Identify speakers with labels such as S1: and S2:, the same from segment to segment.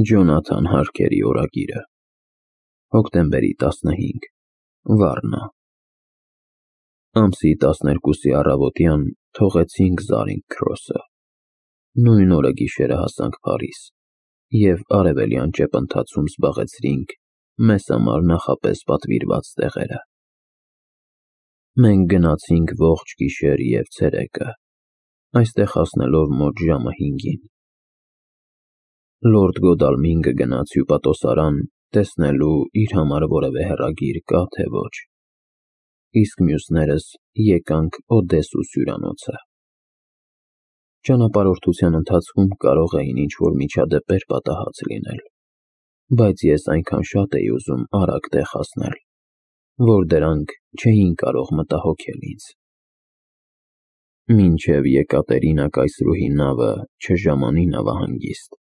S1: Ջոնաթան Հարքերի օրագիրը, հոկտեմբերի 15, Վառնա։ Ամսի 12-ի առավոտյան թողեցինք Զարինգ Քրոսը։ Նույն օրը գիշերը հասանք Փարիզ և արևելյան ճեպընթացում զբաղեցրինք մեզ համար նախապես պատվիրված տեղերը։ Մենք գնացինք ողջ գիշեր և ցերեկը, այստեղ հասնելով մոտ ժամը 5-ին։ Լորդ Գոդալմինգը գնաց հյուպատոսարան տեսնելու իր համար որևէ հեռագիր կա թե ոչ, իսկ մյուսներս եկանք Օդեսուս հյուրանոցը։ Ճանապարհորդության ընթացքում կարող էին ինչ-որ միջադեպեր պատահած լինել, բայց ես այնքան շատ էի ուզում արագ տեղ հասնել, որ դրանք չէին կարող մտահոգել ինձ։ Մինչև Եկատերինա կայսրուհի նավը չժամանի նավահանգիստ,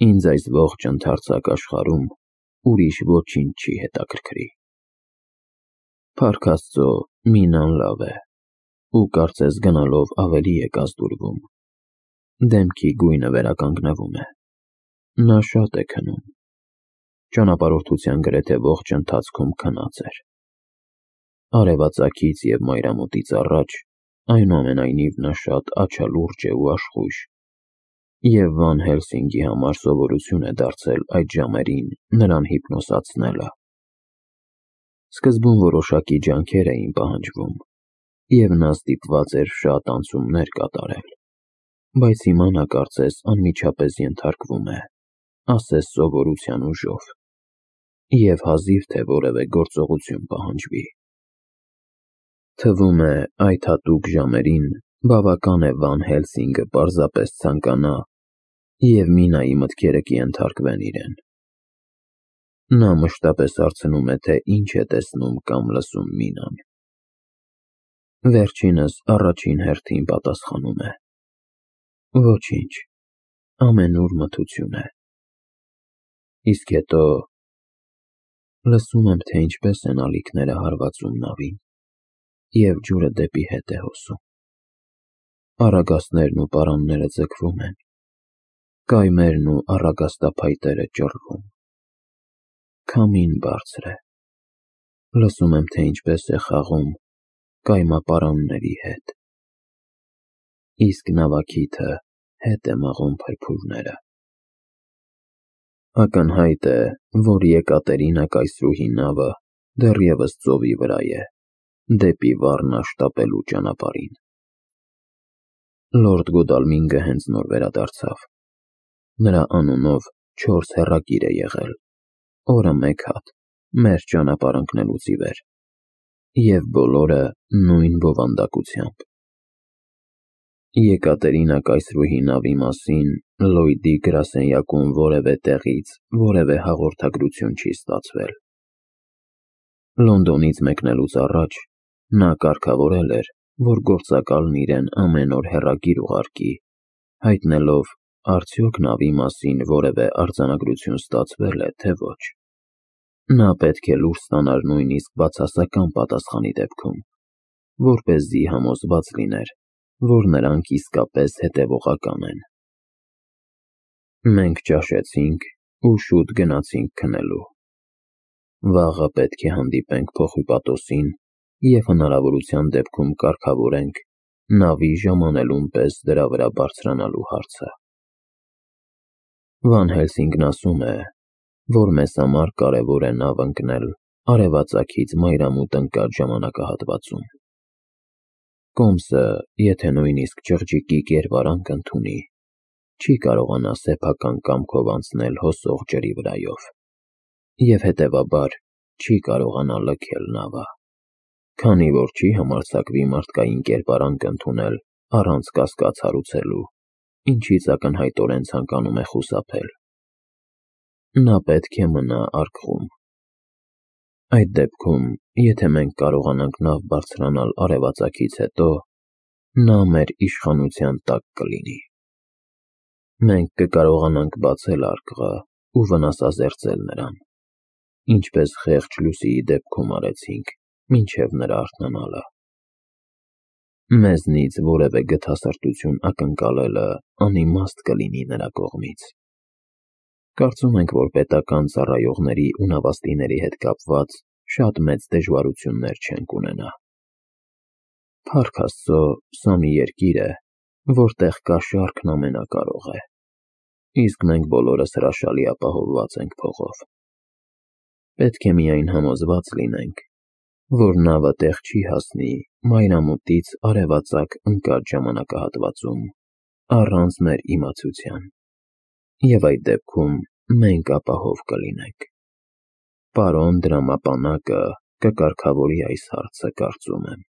S1: ինձ այս ողջ ընդարձակ աշխարհում ուրիշ ոչինչ չի հետաքրքրի։ Փառք Աստծո, Մինան լավ է, ու կարծես գնալով ավելի է կազդուրվում։ Դեմքի գույնը վերականգնվում է։ Նա շատ է քնում։ Ճանապարհորդության գրեթե ողջ ընթացքում քնած էր։ Արևածագից և մայրամուտից առաջ, այնուամենայնիվ, նա շատ աչալուրջ է ու աշխույժ, և Վան Հելսինգի համար սովորություն է դարձել այդ ժամերին նրան հիպնոսացնելը։ Սկզբում որոշակի ջանքեր էին պահանջվում, և նա ստիպված էր շատ անցումներ կատարել, բայց հիմա նա կարծես անմիջապես ենթարկվում է, ասես սովորության ուժով, և հազիվ թե որևէ գործողություն պահանջվի։ Թվում է, այդ հատուկ ժամերին բավական է Վան Հելսինգը պարզապես ցանկանա, և Մինայի մտքերը կենթարկվեն իրեն։ Նա մշտապես հարցնում է, թե ինչ է տեսնում կամ լսում Մինան։ Վերջինս առաջին հերթին պատասխանում է. Ոչինչ, ամենուր մթություն է։ Իսկ հետո լսում եմ, թե ինչպես են ալիքները հարվածում նավին, և ջուրը դեպի հետ է հոսում։ Առագաստներն ու պարանները ձգվում են, կայմերն ու առագաստափայտերը ճռռում։ Քամին բարձր է։ Լսում եմ, թե ինչպես է խաղում կայմապարանների հետ, իսկ նավակիթը հետ է մղում փրփուրները։ Ակնհայտ է, որ Եկատերինա կայսրուհի նավը դեռևս ծովի վրա է, դեպի Վառնա շտապելու ճանապարհին։ Լորդ Գոդալմինգը հենց նոր վերադարձավ։ Նրա անունով 4 հեռագիր է եղել, օրը մեկ հատ, մեր ճանապարհ ընկնելուց ի վեր, և բոլորը նույն բովանդակությամբ։ Եկատերինա կայսրուհի նավի մասին Լլոյդի գրասենյակում որևէ տեղից որևէ հաղորդագրություն չի ստացվել։ Լոնդոնից մեկնելուց առաջ նա կարգավորել էր, որ գործակալն իրեն ամեն օր հեռագիր ուղարկի, հայտնելով, արդյոք նավի մասին որևէ արձանագրություն ստացվել է, թե ոչ։ Նա պետք է լուր ստանար նույնիսկ բացասական պատասխանի դեպքում, որպեսզի համոզված լիներ, որ նրանք իսկապես հետևողական են։ Մենք ճաշեցինք ու շուտ գնացինք քնելու։ Վաղը պետք է հանդիպենք փոխհյուպատոսին և հնարավորության դեպքում կարգավորենք նավի ժամանելուն պես դրա վրա բարձրանալու հարցը։ Վան Հելսինգն ասում է, որ մեզ համար կարևոր է նավ ընկնել արևածագից մայրամուտ ընկած ժամանակահատվածում։ Կոմսը, եթե նույնիսկ չղջիկի կերպարանք ընդունի, չի կարողանա սեփական կամքով անցնել հոսող ջրի վրայով, և հետևաբար չի կարողանա լքել նավը, քանի որ չի համարձակվի մարդկային կերպարանք ընդունել առանց կասկած հարուցելու, ինչից ակնհայտորեն ցանկանում է խուսափել։ Նա պետք է մնա առքվում։ Այդ դեպքում, եթե մենք կարողանանք նավ բարձրանալ արևածագից հետո, նա մեր իշխանության տակ կլինի։ Մենք կկարողանանք բացել արկղը ու վնասազերծել նրան, ինչպես խեղճ Լուսիի դեպքում արեցինք, մինչև նրա արթնանալը։ Մեզնից որևէ գթասրտություն ակնկալելը անիմաստ կլինի նրա կողմից։ Կարծում ենք, որ պետական ծառայողների ու նավաստիների հետ կապված շատ մեծ դժվարություններ չենք ունենա։ Փառք Աստծո, սա մի երկիր է, որտեղ կա շարքն ամենակարող է, իսկ մենք բոլորս հրաշալի ապահովված ենք փողով։ Պետք է միայն համոզված լինենք, որ նավը տեղ չի հասնի մայրամուտից արևածագ ընկած ժամանակահատվածում առանց մեր իմացության, և այդ դեպքում մենք ապահով կլինենք։ Պարոն դրամապանակը կկարգավորի այս հարցը, կարծում եմ։